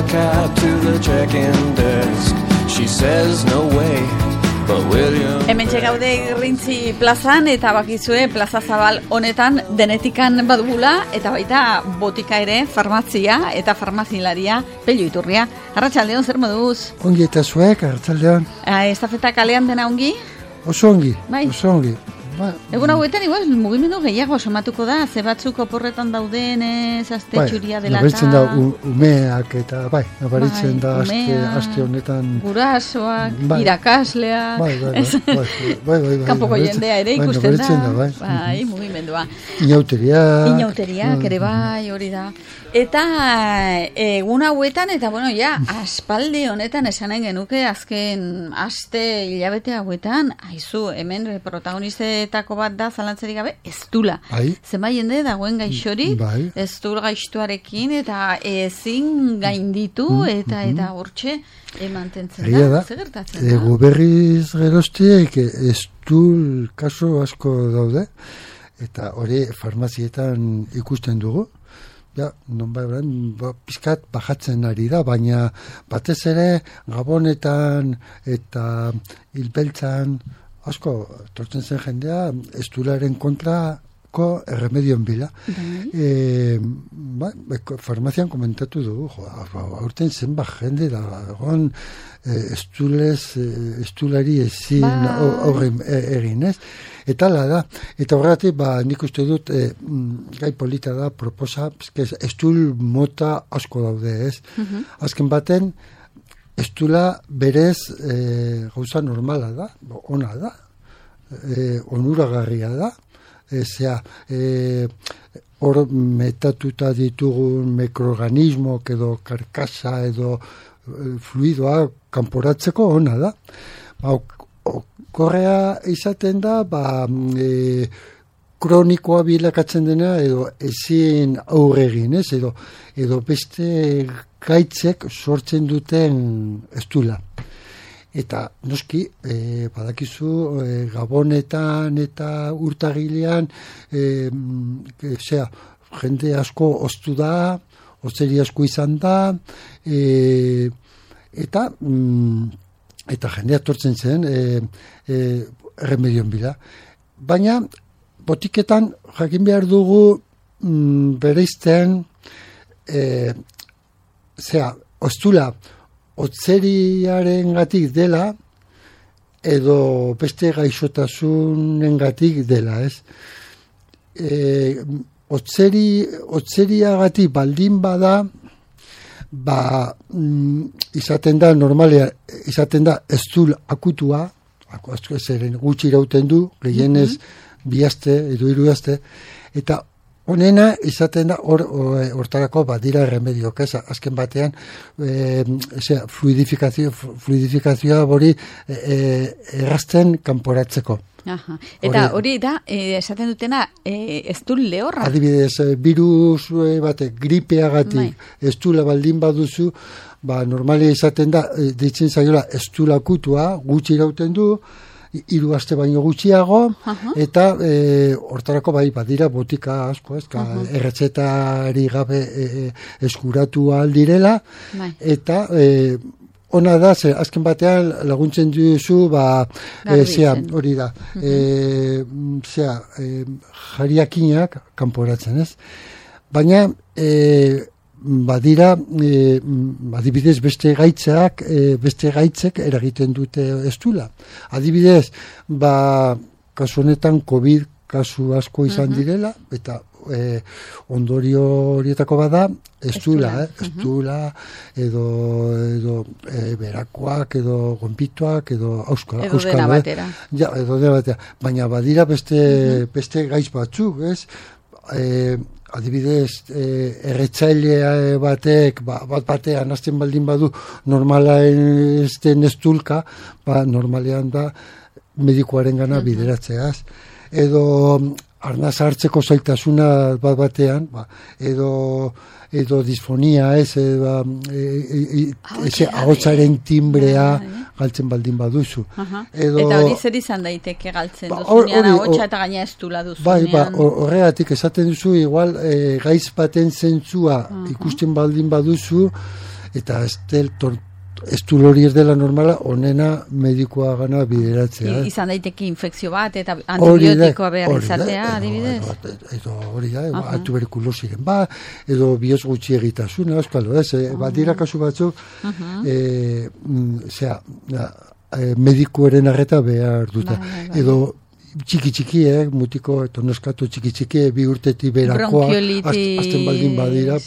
a cab to the check-in desk. She says no way, but William... Hemen txegaude Irrintzi plazan, eta bakizue plaza zabal honetan denetikan badugula, eta baita botika ere, farmazia eta farmazilaria Pello Iturria. Arratsaldeon, zer moduz? Ongi eta zuek, arratsaldeon. Estafeta kalean dena ongi? Oso ongi, bai. Oso ongi. Egun hauetan, igual, mugimendu gehiago somatuko da, ze batzuk oporretan dauden, azte txuria dela eta... Nabaritzen da umeak eta, nabaritzen da aste honetan... Gurasoak, irakasleak... Kanpoko jendea ere ikusten da. Bai, mugimendua. Inauteriak ere bai, hori da. Eta egun hauetan, eta bueno, aspaldi honetan esan nahi genuke azken aste hilabete hauetan, aizu, hemen protagonistetako bat da zalantzerik gabe, Eztula. Zenbait jende dagoen gaixorik, Eztula gaixtuarekin, eta ezin gainditu, eta hortxe mantentzen da. Zer gertatzen da? Berriz geroztiek Eztul kaso asko daude, eta hori farmazietan ikusten dugu. Pizkat bajatzen ari da, baina batez ere Gabonetan eta Hilbeltzan asko tortzen zen jendea Eztularen kontrako erremedion bila. Farmazian komentatu dugu, aurten zenbat jende da, Eztulari ezin horren egin, ez? Eta ala da, eta horregatik nik uste dut gai polita da proposa, Eztul mota asko daude, ez? Azken baten, Eztula berez gauza normala da, ona da, onuragarria da, hor metatuta ditugun mikroorganismok edo karkasa edo fluidoa kanporatzeko ona da. Korrea izaten da, kronikoa bilakatzen dena edo ezin aurre egin, ez? Edo beste gaitzek sortzen duten Eztula. Eta noski, badakizu, Gabonetan eta urtagilean, jende asko oztu da, ozeri asko izan da, eta jendea tortzen zen erremedion bila. Baina, botiketan jakin behar dugu bereizten Eztula otzeriaren gatik dela edo beste gaixotasunen gatik dela, ez? Otzeriagatik baldin bada izaten da, normalea, izaten da Eztul akutua, zeren gutxi irauten du, gehienez bi aste edo 3 aste, eta honena izaten da hortarako badira erremediok, ez? Azken batean, fluidifikazioa hori errazten kanporatzeko. Eta hori da, esaten dutena, Eztul lehorra? Adibidez, virus batek, gripeagatik, Eztula baldin baduzu, normalia izaten da, ditzen zaiola Eztul akutua, gutxi irauten du, 3 aste baino gutxiago, eta hortarako badira botika asko, erretzetari gabe eskuratu aldirela, eta ona da, azken batean laguntzen duzu, hori da, jariakinak kanporatzen, ez? Baina, badira, adibidez, beste gaitzek eragiten dute Eztula. Adibidez, kasu honetan COVID kasu asko izan direla, eta ondorio horietako bada Eztula, edo berakoak, edo gonpituak, edo auskal. Edo dena batera. Edo dena batera. Baina badira beste gaitz batzuk, ez? Adibidez, erretzaile batek, batean azten baldin badu normala ezten Eztulka, normalean da medikuaren gana bideratzeaz. Edo arnaz hartzeko zailtasuna batean, edo disfonia, ahotsaren timbrea galtzen baldin baduzu. Eta hori zer izan daiteke galtzen duzunean, ahotsa eta gaina Eztula duzunean. Horregatik esaten duzu, igual, gaiz baten zentzua ikusten baldin baduzu, eta estul hori ez dela normala, onena medikoa gana bideratzea. Izan daiteke infekzio bat, eta antibiotikoa behar izatea, adibidez? Edo hori da, tuberkulosiren edo bihotz gutxi egitasuna, euskalo, badira kasu batzuk, medikuaren arreta behar dute. Edo txiki, mutiko, eta neskatu txiki, 2 urtetik berakoa, azten baldin badira,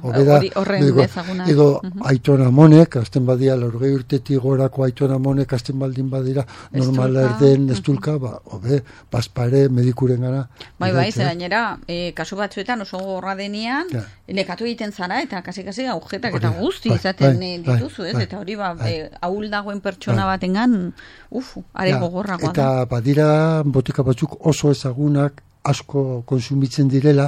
horren ezaguna. Edo aitona monek, azten badira, 40 urtetik gorako aitona monek, azten baldin badira, normala erden estulka, paspare medikuren gana. Bai, ze gainera, kasu batzuetan oso gorra denean, lekatu egiten zara, eta kasi agujetak eta guzti izaten dituzu, ez? Eta hori, ahul dagoen pertsona batengan, are gogorragoa da. Eta badira botika batzuk oso ezagunak asko konsumitzen direla,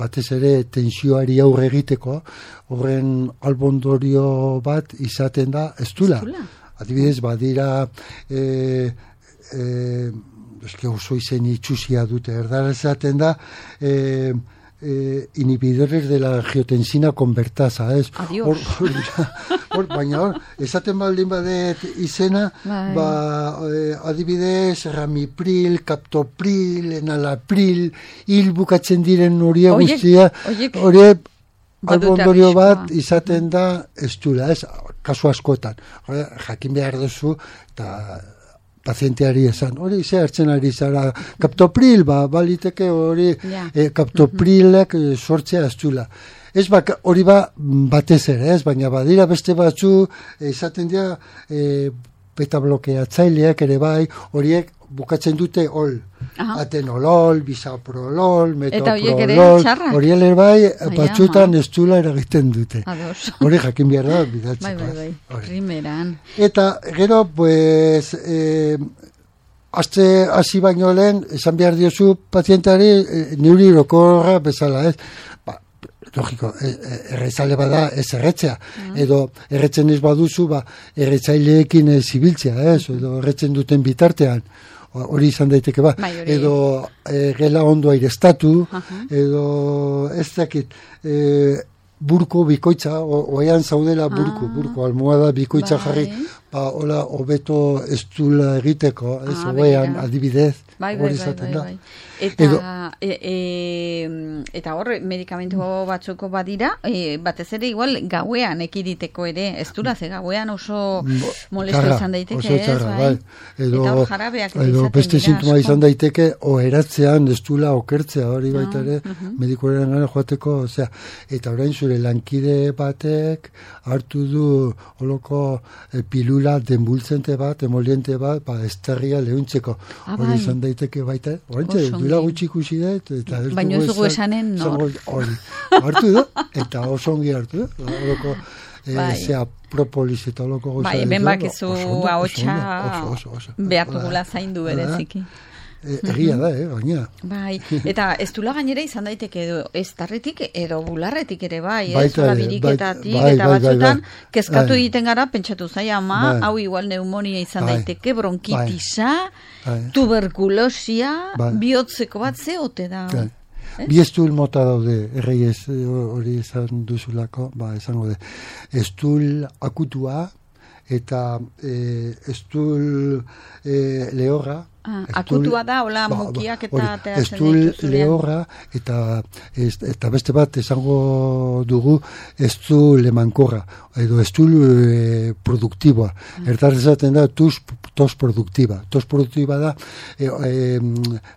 batez ere tensioari aurre egiteko, horren albondorio bat izaten da estula. Adibidez, badira oso izen itxusia dute, erdara esaten da inhibidores de la angiotensina convertasa, ez? Adiós. Baina esaten baldin badet izena, adibidez, ramipril, captopril, enalapril, bukatzen diren horiek guztia, horiek albondorio bat izaten da estula, ez? Kasu askotan. Jakin behar duzu, eta pazienteari esan, hori ze hartzen ari zara, kaptopril, baliteke hori kaptoprilek sortzea estula. Ez hori batez ere, ez, baina badira beste batzu, izaten dira beta-blokeatzaileak ere bai, horiek bukatzen dute ol. Atenolol, bisaprolol, metoprolol, horiek ere bai, batzuetan estula eragiten dute. Hori jakin behar da, bidatzeko. Bai, primeran. Eta gero, pues, hasi baino lehen, esan behar diozu pazientari neuri orokorra bezala, ez? Logiko, erretzale bada ez erretzea, edo erretzen ez baduzu, erretzaileekin zibiltzea, edo erretzen duten bitartean, hori izan daiteke edo gela ondo airestatu, edo ez dakit, burko bikoitza, oean zaudela burko, almohada bikoitza jarri, hola, hobeto estula egiteko, ez, oean adibidez, hori izaten da. Eta hor, medikamentu batzuko badira, batez ere igual gauean ekiditeko ere, ez dura, ze gauean oso molesto izan daiteke, ez, bai? Eta hor jarabeak edo beste sintoma izan daiteke, oheratzean, ez dula okertzea, hori baita ere, medikuaren gana joateko, osea, eta orain zure lankide batek hartu du holoko pilula denbultzente bat, emoliente bat, esterria lehuntzeko, hori izan daiteke baita, horrentxe, duela gutxi ikusi da, baina ez dugu esanen nor. Hartu da, eta oso ongi hartu da, horoko, zea propolis eta horoko goza. Ben bakizu ahotsa behar dugula zaindu bereziki. Egia da, gaina. Bai, eta ez dula gainera izan daiteke edo ez tarretik edo bularretik ere bai, zola biriketatik, eta batzutan kezkatu egiten gara, pentsatu zai, hau igual pneumonia izan daiteke, bronkitisa, tuberkulosia, bihotzeko bat zeote da. Bi estul mota daude, erreiez hori izan duzulako, esango de, estul akutua, eta estul lehorra, akutua da, hola mukiak eta estul lehorra, eta beste bat esango dugu estul emankorra, edo estul produktiboa. Ertar esaten da tos produktiba. Tos produktiba da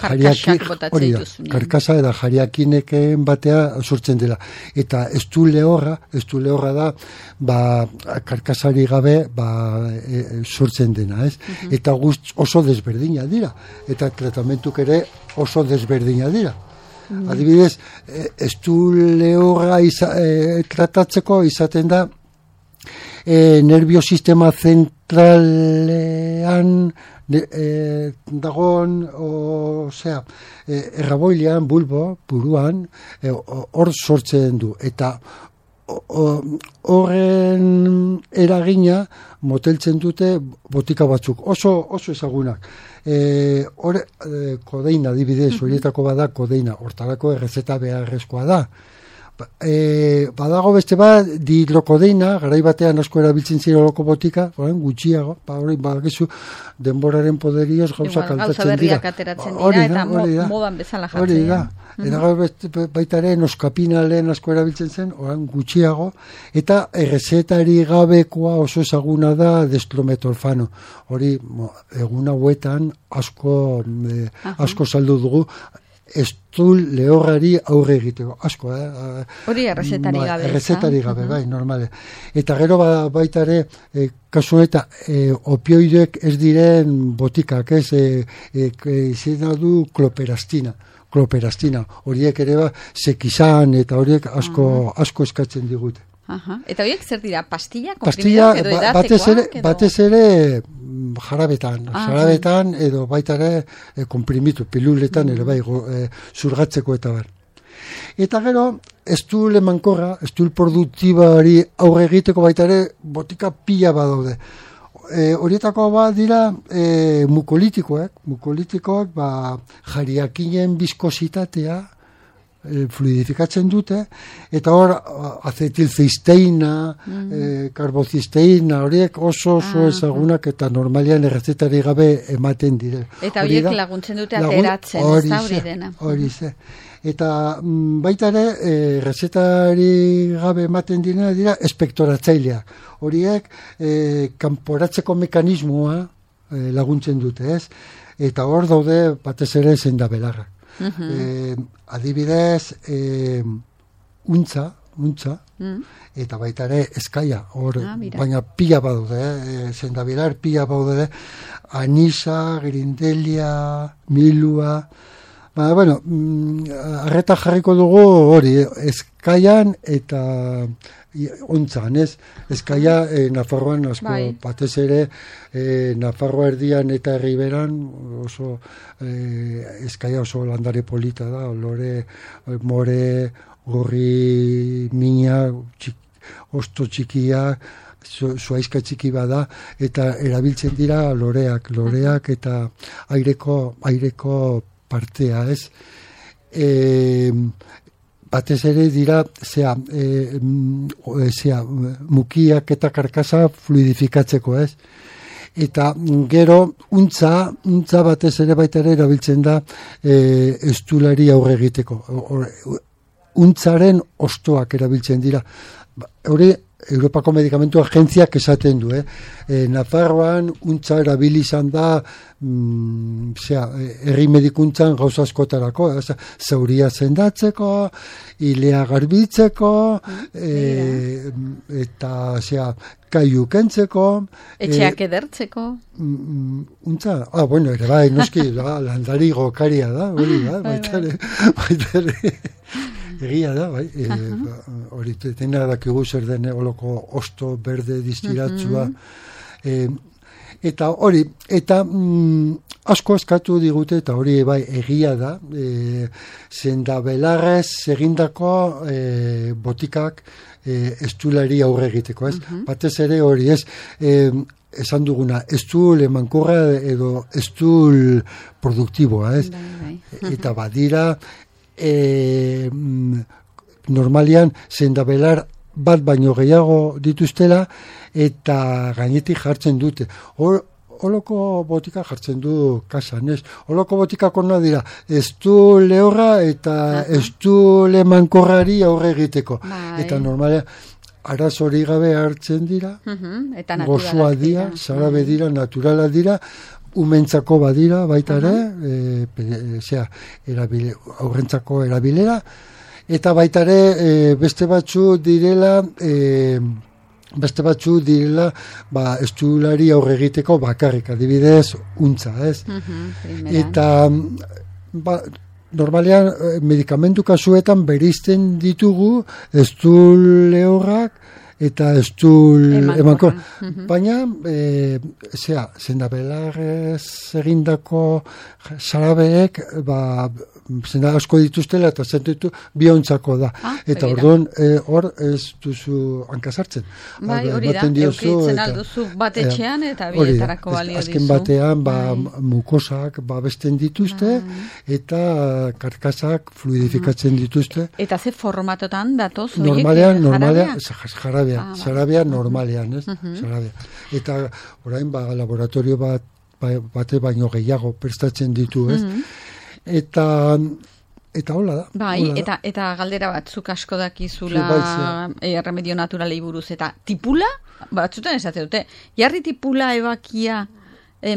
karkasa eta jariakineken batea sortzen dela. Eta estul lehorra da karkasari gabe sortzen dena, ez? Eta oso desberdina dira, eta tratamentuk ere oso desberdina dira. Adibidez, estul lehorra tratatzeko izaten da nerviosistema zentralean dagoen, osea, erraboilean, buruan, hor sortzen du, eta horren eragina moteltzen dute botika batzuk, oso ezagunak. Kodeina, adibidez, horietako bada kodeina, hortarako errezeta beharrezkoa da. Badago beste bat, dihidrokodeina, garai batean asko erabiltzen ziren oloko botika, gutxiago, hori badakizu denboraren poderioz gauzak aldatzen dira. Gauza berriak ateratzen dira, eta modan bezala jartzen. Hori da. Eta baita ere noskapinalen asko erabiltzen zen, orain gutxiago, eta errezetari gabekoa oso ezaguna da destrometorfano. Hori egun hauetan asko saldu dugu, estul lehorrari aurre egiteko, asko, Hori errezetari gabe. Errezetari gabe, bai, normale. Eta gero baita ere, kasu eta opioideek ez diren botikak, izena du kloperastina, horiek ere sekizan eta horiek asko eskatzen digute. Eta horiek zer dira, pastilla, komprimidoak edo edatekoak? Batez ere jarabetan edo baita ere komprimitu, piluletan ere bai, zurgatzeko eta bar. Eta gero, estul emankorra, estul produktibari aurre egiteko baita ere botika pila badaude. Horietako bat dira mukolitikoak jariakinen biskozitatea fluidifikatzen dute, eta hor acetilcisteina, karbocisteina, horiek oso ezagunak eta normalian errezetari gabe ematen dire. Eta horiek laguntzen dute ateratzen, ez da hori dena. Hori ze. Eta baita ere, errezetari gabe ematen dira espektoratzailea. Horiek kanporatzeko mekanismoa laguntzen dute, ez? Eta hor daude batez ere zendabelarrak. Adibidez, untza, eta baita ere eskaia, baina pila badaude, zendabilar pila badaude, anisa, grindelia, milua, arreta jarriko dugu hori, eskaian eta ontzan, ez? Eskaia Nafarroan asko, batez ere Nafarroa erdian eta herriberan oso eskaia oso landare polita da, olore, more, gorri, mina, osto txikia, zuaizka txiki bada, eta erabiltzen dira loreak eta aireko partea, ez? Batez ere dira mukiak eta karkasa fluidifikatzeko, ez? Eta gero untza batez ere baita ere erabiltzen da estulari aurre egiteko. Untzaren ostoak erabiltzen dira. Hori Europako Medikamentu Agentziak esaten du, Nafarroan untza erabili izan da herri medikuntzan gauza askotarako, zauria sendatzeko, ilea garbitzeko, eta kaiu kentzeko, etxeak edertzeko. Untza, ere bai, noski, landari gokaria da, hori da, baita ere. Egia da, bai, hori tena dakigu zer den oloko osto berde distiratzua, eta hori, eta asko eskatu digute, eta hori bai egia da, zendabelarrez egindako botikak estulari aurre egiteko, ez? Batez ere hori, ez? Esan duguna, estul emankorra edo estul produktiboa, ez? Eta badira, normalian zendabelar bat baino gehiago dituztela eta gainetik jartzen dute. Oloko botika jartzen du kasan, ez? Oloko botikako nahi dira, estul lehorra eta estul emankorrari aurre egiteko. Eta normalean arazori gabe hartzen dira, gozoa dira, zarabe dira, naturala dira, umentzako badira baita ere, aurrentzako erabilera, eta baita ere beste batzu direla estulari aurre egiteko bakarrik, adibidez untza, ez? Eta normalean medikamentu kasuetan bereizten ditugu estul lehorrak eta estul emankor. Baina, zendabelarrez egindako zarabeek, zena asko dituztela, eta zentutu, biontzako da. Eta orduan, hor ez duzu hankasartzen. Bai, hori da, eukitzen alduzu bat etxean, eta bietarako balio dizu. Azken batean, mukosak babesten dituzte, eta karkasak fluidifikatzen dituzte. Eta ze formatotan datoz? Normalean, jarabea normalean, ez? Jarabea. Eta orain, laboratorio bate baino gehiago prestatzen ditu, ez? Eta hola da. Bai, eta galdera batzuk asko dakizula remedio naturalei buruz. Eta tipula, batzutan esate dute, jarri tipula ebakia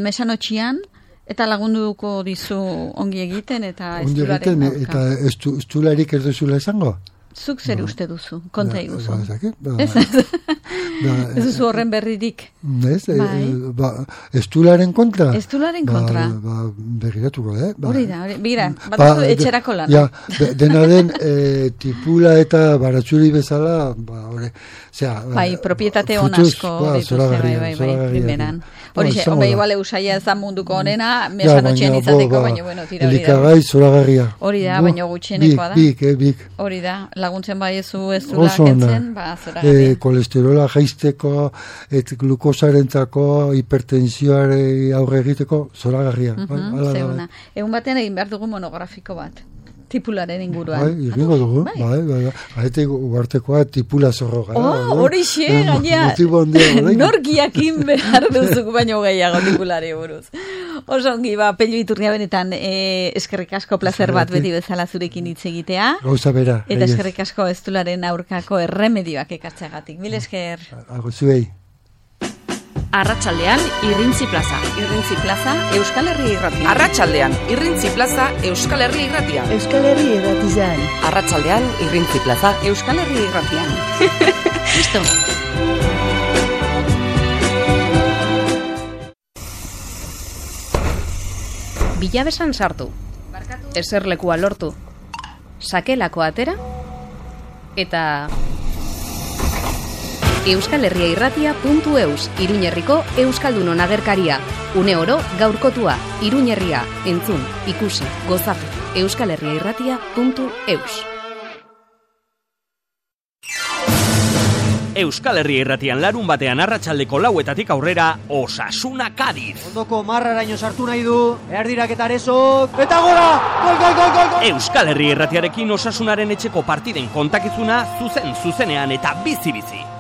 mesanotxian, eta lagunduko dizu ongi egiten, eta estularen aurka. Eta estularik ez duzula esango? Zuk zer uste duzu, konta iguzu. Ez duzu horren berririk. Estularen kontra? Estularen kontra. Begiratuko, hori da, begira, bat etxerako lan. Dena den, tipula eta baratzuri bezala, bai, propietate hon asko dituzte, bai, primeran. Horixe, igual eusaia ez da munduko honena, mesanotxean izateko, baina, bueno, tira hori da. Elikagai zoragarria. Hori da, baina gutxienekoa da. Bik. Hori da, laguntzen bai ez du kentzen, zoragarria. Kolesterola jaisteko, glukosarentzako, hipertensioare aurre egiteko, zoragarria. Zeuna. Egun batean egin behar dugu monografiko bat. Tipularen inguruan. Bai, egingo dugu. Bai. Aete uartekoa tipula zorroga. Hori xe, gaina. Norkiakin behar duzuk baino gehiago tipulari buruz. Oso ongi, Pello Iturria benetan eskerrik asko placer bat beti bezala zurekin hitz egitea. Gauza bera. Eta eskerrik asko estularen aurkako erremedioak ekartzeagatik. Mil esker. Zuei. Arratsaldean Irrintzi Plaza. Irrintzi Plaza, Euskal Herria Irratia. Arratsaldean Irrintzi Plaza, Euskal Herria Irratia. Euskal Herria Irratian. Arratsaldean Irrintzi Plaza, Euskal Herria Irratian. Listo. Bilabesan sartu. Eserlekua lortu. Sakelako atera eta euskalherriairratia.eus, Iruñerriko Euskaldunon agerkaria. Une oro gaurkotua, Iruñerria, entzun, ikusi, gozatu. euskalherriairratia.eus. Euskal Herria Irratian larun batean arratsaldeko 4:00 aurrera Osasuna Cádiz. Ondoko marraraino sartu nahi du, erdirak eta arezok, eta gora! Gol! Euskal Herria Irratiarekin Osasunaren etxeko partiden kontakizuna zuzenean eta bizi-bizi.